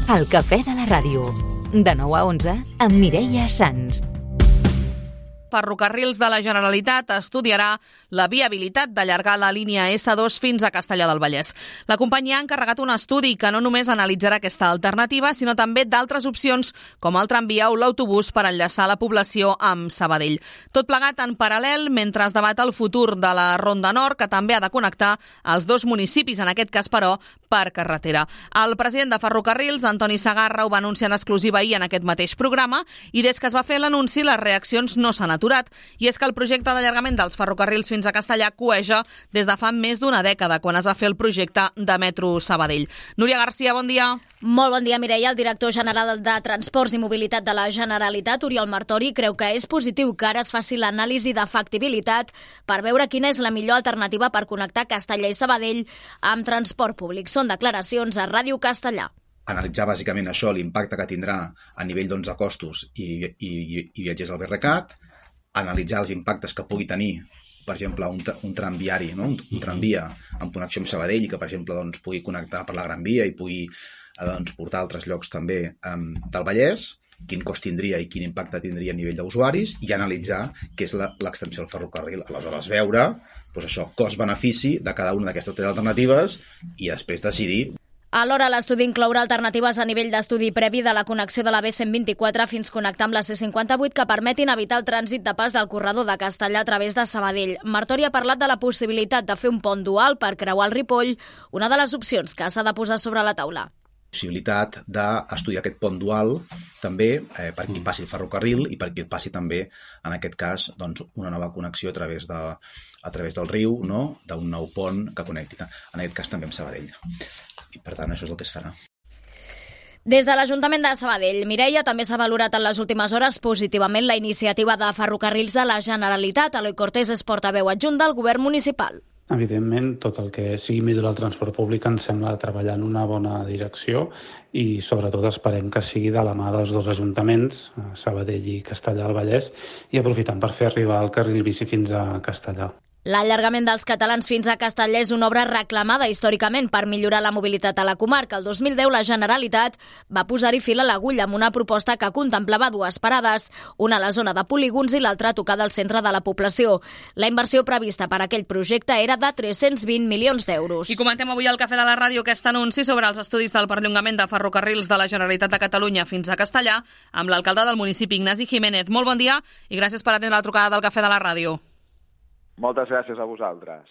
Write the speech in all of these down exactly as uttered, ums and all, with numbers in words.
El cafè de la ràdio. De nou a onze amb Mireia Sans. Ferrocarrils de la Generalitat estudiarà la viabilitat d'allargar la línia essa dos fins a Castellar del Vallès. La companyia ha encarregat un estudi que no només analitzarà aquesta alternativa, sinó també d'altres opcions com el tramvia o l'autobús per enllaçar la població amb Sabadell. Tot plegat en paral·lel mentre es debat el futur de la Ronda Nord, que també ha de connectar els dos municipis, en aquest cas, però, per carretera. El president de Ferrocarrils, Antoni Segarra, ho va anunciar en exclusiva ahir en aquest mateix programa i des que es va fer l'anunci les reaccions no s'han aturat. I és que el projecte d'allargament dels ferrocarrils fins a Castellar cueja des de fa més d'una dècada, quan es va fer el projecte de Metro Sabadell. Núria Garcia, bon dia. Molt bon dia, Mireia. El director general de Transports i Mobilitat de la Generalitat, Oriol Martori, creu que és positiu que ara es faci l'anàlisi de factibilitat per veure quina és la millor alternativa per connectar Castellar i Sabadell amb transport públic. Són declaracions a Ràdio Castellar. Analitzar bàsicament això, l'impacte que tindrà a nivell doncs, de costos i, i, i viatgers al B R C A T, analitzar els impactes que pugui tenir, per exemple, un, un tramviari, no? un, un tramvia amb connexió amb Sabadell i que, per exemple, doncs, pugui connectar per la Gran Via i pugui doncs, portar a altres llocs també um, del Vallès, quin cost tindria i quin impacte tindria a nivell d'usuaris, i analitzar què és l'extensió del ferrocarril. Aleshores, veure doncs això, cost-benefici de cada una d'aquestes tres alternatives i després decidir. Alhora, l'estudi inclourà alternatives a nivell d'estudi previ de la connexió de la B cent vint-i-quatre fins connectar amb la C cinquanta-vuit que permetin evitar el trànsit de pas del corredor de Castellar a través de Sabadell. Martori ha parlat de la possibilitat de fer un pont dual per creuar el Ripoll, una de les opcions que s'ha de posar sobre la taula. Possibilitat d'estudiar aquest pont dual també eh, per qui passi el ferrocarril i per qui passi també, en aquest cas, doncs, una nova connexió a través, de, a través del riu, no? D'un nou pont que connecti, en aquest cas també amb Sabadell. I per tant això és el que es farà. Des de l'Ajuntament de Sabadell, Mireia, també s'ha valorat en les últimes hores positivament la iniciativa de Ferrocarrils de la Generalitat. Eloi Cortés és portaveu adjunt del govern municipal. Evidentment, tot el que sigui millorar el transport públic ens sembla treballar en una bona direcció i sobretot esperem que sigui de la mà dels dos ajuntaments, Sabadell i Castellar del Vallès, i aprofitant per fer arribar el carril bici fins a Castellar. L'allargament dels catalans fins a Castellar és una obra reclamada històricament per millorar la mobilitat a la comarca. El dos mil deu la Generalitat va posar-hi fil a l'agulla amb una proposta que contemplava dues parades, una a la zona de polígons i l'altra a tocar del centre de la població. La inversió prevista per aquell projecte era de tres-cents vint milions d'euros. I comentem avui al Cafè de la Ràdio aquest anunci sobre els estudis del perllongament de ferrocarrils de la Generalitat de Catalunya fins a Castellar amb l'alcalde del municipi, Ignasi Jiménez. Molt bon dia i gràcies per atendre la trucada del Cafè de la Ràdio. Moltes gràcies a vosaltres.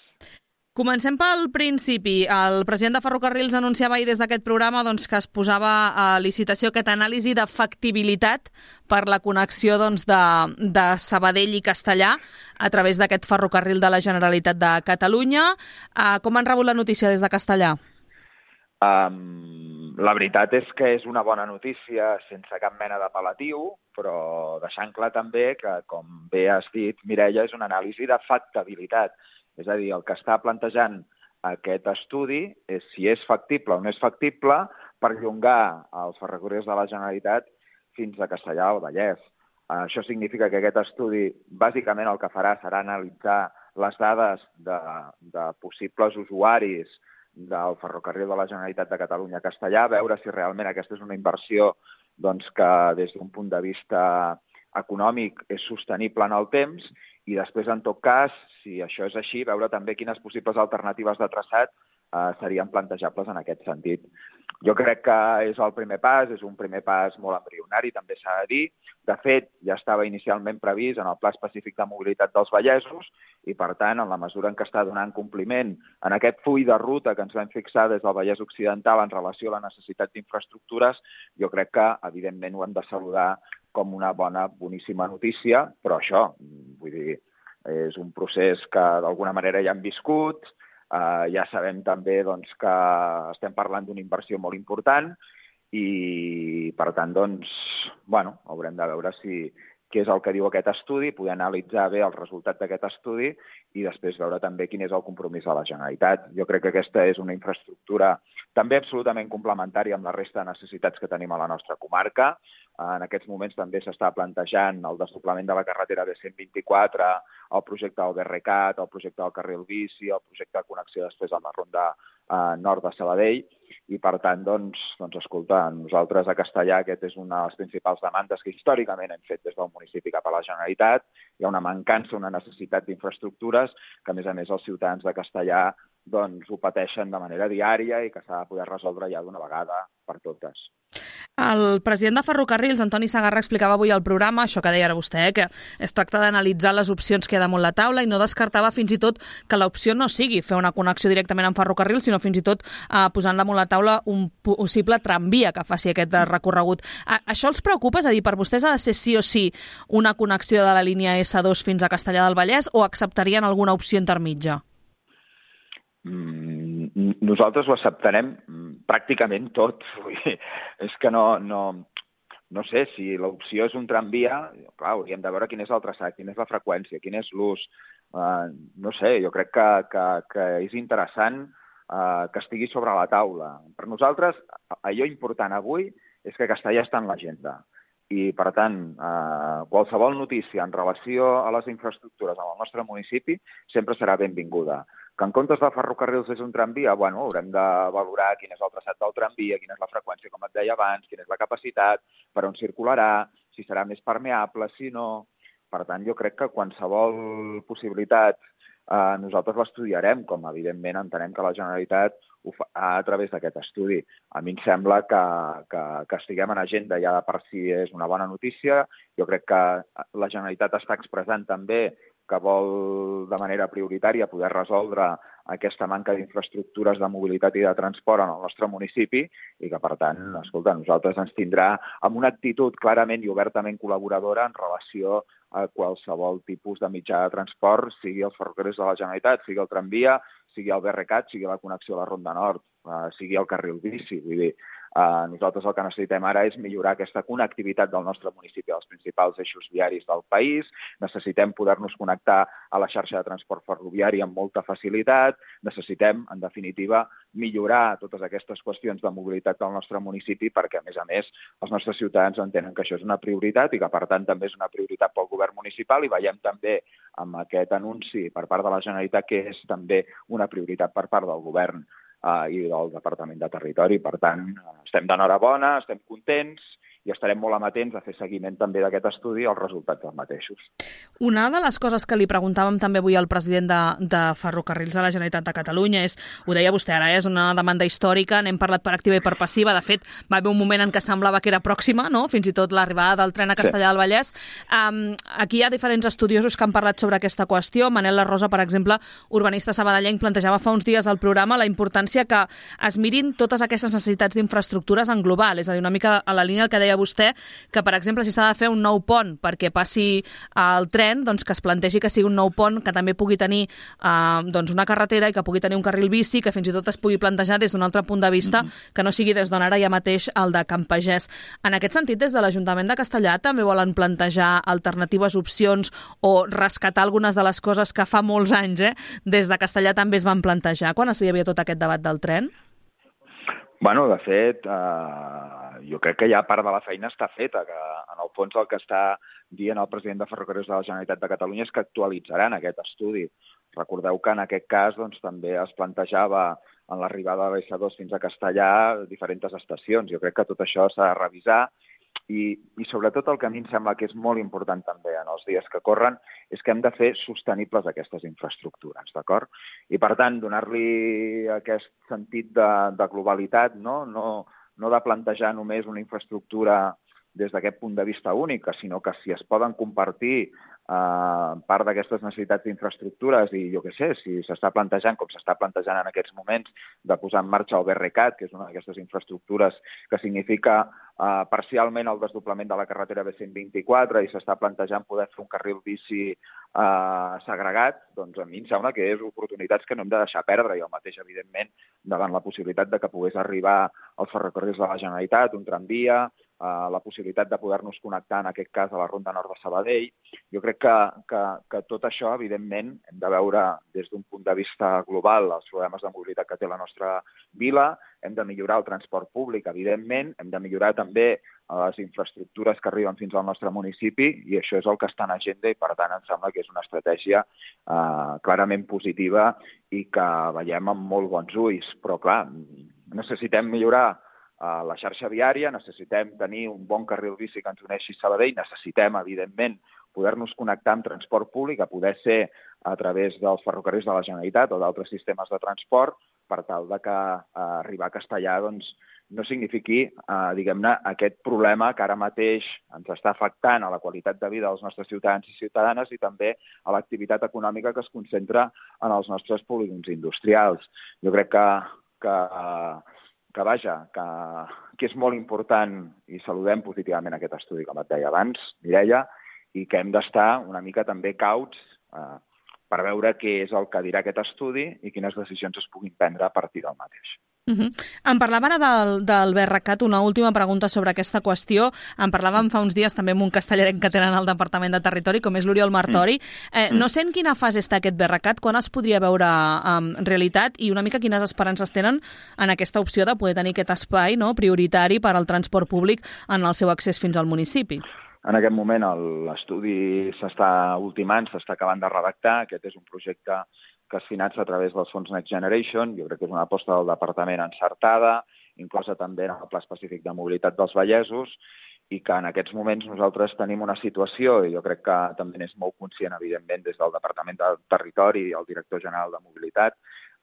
Comencem pel principi. El president de Ferrocarrils anunciava ahir des d'aquest programa doncs, que es posava a licitació aquesta anàlisi de factibilitat per la connexió doncs, de, de Sabadell i Castellar a través d'aquest ferrocarril de la Generalitat de Catalunya. Uh, com han rebut la notícia des de Castellar? Um, la veritat és que és una bona notícia sense cap mena d'apel·latiu, però deixant clar també que, com bé has dit, Mireia, és una anàlisi de factibilitat. És a dir, el que està plantejant aquest estudi és si és factible o no és factible perllongar els ferrocarrils de la Generalitat fins a Castellar del Vallès. Això significa que aquest estudi bàsicament el que farà serà analitzar les dades de, de possibles usuaris del ferrocarril de la Generalitat de Catalunya a Castellar, veure si realment aquesta és una inversió doncs, que des d'un punt de vista econòmic és sostenible en el temps i després, en tot cas, si això és així, veure també quines possibles alternatives de traçat eh, serien plantejables en aquest sentit. Jo crec que és el primer pas, és un primer pas molt embrionari, també s'ha de dir. De fet, ja estava inicialment previst en el Pla Específic de Mobilitat dels Vallesos i, per tant, en la mesura en què està donant compliment en aquest full de ruta que ens vam fixar des del Vallès Occidental en relació a la necessitat d'infraestructures, jo crec que, evidentment, ho hem de saludar com una bona, boníssima notícia, però això, vull dir, és un procés que d'alguna manera ja hem viscut, eh, ja sabem també doncs, que estem parlant d'una inversió molt important i, per tant, doncs, bueno, haurem de veure si què és el que diu aquest estudi, poder analitzar bé el resultat d'aquest estudi i després veure també quin és el compromís de la Generalitat. Jo crec que aquesta és una infraestructura també absolutament complementària amb la resta de necessitats que tenim a la nostra comarca. En aquests moments també s'està plantejant el desdoblament de la carretera B cent vint-i-quatre, el projecte del B R C A T, el projecte del carril bici, el projecte de connexió després amb la ronda eh, nord de Sabadell, i per tant, doncs, doncs, escolta, nosaltres a Castellar aquest és una de les principals demandes que històricament hem fet des del municipi cap a la Generalitat. Hi ha una mancança, una necessitat d'infraestructures que, a més a més, els ciutadans de Castellar doncs, ho pateixen de manera diària i que s'ha de poder resoldre ja d'una vegada per totes. El president de Ferrocarrils, Antoni Segarra, explicava avui al programa, això que deia ara vostè, eh, que es tracta d'analitzar les opcions que hi ha damunt la taula i no descartava fins i tot que l'opció no sigui fer una connexió directament amb Ferrocarrils, sinó fins i tot eh, posant damunt la taula un possible tramvia que faci aquest recorregut. A això els preocupa? És a dir, per vostès ha de ser sí o sí una connexió de la línia essa dos fins a Castellar del Vallès o acceptarien alguna opció intermitja? Mm, nosaltres ho acceptarem pràcticament tot. Vull dir, és que no, no, no sé, si l'opció és un tramvia, clar, hauríem de veure quin és el traçat, quina és la freqüència, quin és l'ús. Uh, no sé, jo crec que, que, que és interessant uh, que estigui sobre la taula. Per nosaltres, allò important avui és que Castellar està en l'agenda. I, per tant, eh, qualsevol notícia en relació a les infraestructures en el nostre municipi sempre serà benvinguda. Que en comptes de ferrocarrils és un tramvia, bueno, haurem de valorar quin és el traçat del tramvia, quina és la freqüència, com et deia abans, quina és la capacitat, per on circularà, si serà més permeable, si no. Per tant, jo crec que qualsevol possibilitat eh, nosaltres l'estudiarem, com evidentment entenem que la Generalitat ho fa a través d'aquest estudi. A mi em sembla que, que, que estiguem en agenda ja de per si és una bona notícia. Jo crec que la Generalitat està expressant també que vol de manera prioritària poder resoldre aquesta manca d'infraestructures de mobilitat i de transport en el nostre municipi i que, per tant, escolta, nosaltres ens tindrà amb una actitud clarament i obertament col·laboradora en relació a qualsevol tipus de mitjà de transport, sigui els ferrocarrils de la Generalitat, sigui el tramvia, sigui el B R C A T, sigui la connexió a la Ronda Nord, eh, sigui el carril bici. Vull dir, eh, nosaltres el que necessitem ara és millorar aquesta connectivitat del nostre municipi als principals eixos viaris del país, necessitem poder-nos connectar a la xarxa de transport ferroviari amb molta facilitat, necessitem, en definitiva, millorar totes aquestes qüestions de mobilitat del nostre municipi perquè, a més a més, els nostres ciutadans entenen que això és una prioritat i que, per tant, també és una prioritat pel govern municipal i veiem també amb aquest anunci per part de la Generalitat que és també una prioritat per part del govern eh, i del Departament de Territori. Per tant, estem d'enhorabona, estem contents i estarem molt amatents a fer seguiment també d'aquest estudi i els resultats dels mateixos. Una de les coses que li preguntàvem també avui al president de, de Ferrocarrils de la Generalitat de Catalunya és, ho deia vostè ara, és una demanda històrica, n'hem parlat per activa i per passiva, de fet va haver un moment en què semblava que era pròxima, no? Fins i tot l'arribada del tren a Castellar del Vallès. Um, aquí hi ha diferents estudiosos que han parlat sobre aquesta qüestió. Manel La Rosa, per exemple, urbanista sabadellenc, plantejava fa uns dies al programa la importància que es mirin totes aquestes necessitats d'infraestructures en global, és a dir, una mica a la línia que deia vostè, que, per exemple, si s'ha de fer un nou pont perquè passi el tren, doncs que es plantegi que sigui un nou pont que també pugui tenir eh, doncs una carretera i que pugui tenir un carril bici, que fins i tot es pugui plantejar des d'un altre punt de vista, mm-hmm. que no sigui des d'on ara ja mateix el de Can Pagès. En aquest sentit, des de l'Ajuntament de Castellar també volen plantejar alternatives opcions o rescatar algunes de les coses que fa molts anys eh, des de Castellar també es van plantejar quan hi havia tot aquest debat del tren? Bueno, de fet, eh, jo crec que ja part de la feina està feta, que en el fons el que està dient el president de Ferrocarrils de la Generalitat de Catalunya és que actualitzaran aquest estudi. Recordeu que en aquest cas doncs, també es plantejava en l'arribada de l'essa dos fins a Castellar diferents estacions. Jo crec que tot això s'ha de revisar i, i sobretot el que a mi em sembla que és molt important també en els dies que corren és que hem de fer sostenibles aquestes infraestructures, d'acord? I per tant, donar-li aquest sentit de, de globalitat, no? No, no de plantejar només una infraestructura des d'aquest punt de vista únic, sinó que si es poden compartir eh, part d'aquestes necessitats d'infraestructures i jo què sé, si s'està plantejant, com s'està plantejant en aquests moments, de posar en marxa el B R C A T, que és una d'aquestes infraestructures que significa eh, parcialment el desdoblament de la carretera B cent vint-i-quatre i s'està plantejant poder fer un carril bici eh, segregat, doncs a mi em sembla que és oportunitats que no hem de deixar perdre i el mateix, evidentment, davant la possibilitat de que pogués arribar als ferrocarrils de la Generalitat, un tramvia, Uh, la possibilitat de poder-nos connectar, en aquest cas, a la Ronda Nord de Sabadell. Jo crec que, que, que tot això, evidentment, hem de veure des d'un punt de vista global els problemes de mobilitat que té la nostra vila, hem de millorar el transport públic, evidentment, hem de millorar també les infraestructures que arriben fins al nostre municipi, i això és el que està en agenda, i per tant em sembla que és una estratègia uh, clarament positiva i que veiem amb molt bons ulls. Però, clar, necessitem millorar a la xarxa viària, necessitem tenir un bon carril bici que ens uneixi a Sabadell, necessitem, evidentment, poder-nos connectar amb transport públic, a poder ser a través dels ferrocarrils de la Generalitat o d'altres sistemes de transport, per tal de que eh, arribar a Castellar doncs, no signifiqui, eh, diguem-ne, aquest problema que ara mateix ens està afectant a la qualitat de vida dels nostres ciutadans i ciutadanes i també a l'activitat econòmica que es concentra en els nostres polígons industrials. Jo crec que, que eh, que vaja, que, que és molt important i saludem positivament aquest estudi, com et deia abans, Mireia, i que hem d'estar una mica també cauts eh, per veure què és el que dirà aquest estudi i quines decisions es puguin prendre a partir del mateix. Uh-huh. Em parlava ara del, del BRCat, una última pregunta sobre aquesta qüestió. En parlàvem fa uns dies també amb un castellarenc que tenen al Departament de Territori, com és l'Oriol Martori. Eh, no sé en quina fase està aquest BRCat, quan es podria veure en um, realitat i una mica quines esperances tenen en aquesta opció de poder tenir aquest espai, no, prioritari per al transport públic en el seu accés fins al municipi. En aquest moment l'estudi s'està ultimant, s'està acabant de redactar. Aquest és un projecte que es finança a través dels fons Next Generation. Jo crec que és una aposta del departament encertada, inclosa també en el Pla Específic de Mobilitat dels Vallesos, i que en aquests moments nosaltres tenim una situació, i jo crec que també n'és molt conscient, evidentment, des del Departament de Territori i el Director General de Mobilitat,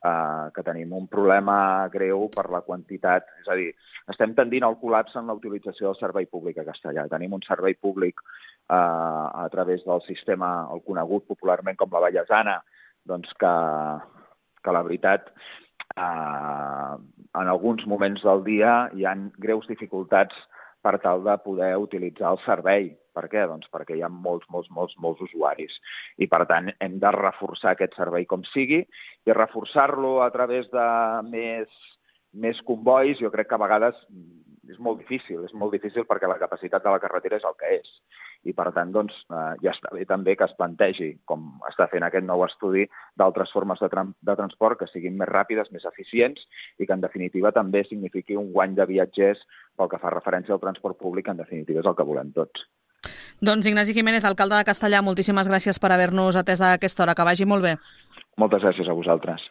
eh, que tenim un problema greu per la quantitat. És a dir, estem tendint al col·lapse en la utilització del servei públic a Castellar. Tenim un servei públic eh, a través del sistema, el conegut popularment com la Vallesana, doncs que, que la veritat, eh, en alguns moments del dia hi ha greus dificultats per tal de poder utilitzar el servei. Per què? Doncs perquè hi ha molts, molts, molts, molts usuaris. I, per tant, hem de reforçar aquest servei com sigui, i reforçar-lo a través de més, més convois, jo crec que a vegades és molt difícil. És molt difícil perquè la capacitat de la carretera és el que és. I, per tant, doncs, eh, ja està bé també que es plantegi, com està fent aquest nou estudi, d'altres formes de, tra de transport que siguin més ràpides, més eficients i que, en definitiva, també signifiqui un guany de viatgers pel que fa referència al transport públic, en definitiva, és el que volem tots. Doncs Ignasi Jiménez, alcalde de Castellar, moltíssimes gràcies per haver-nos atès a aquesta hora. Que vagi molt bé. Moltes gràcies a vosaltres.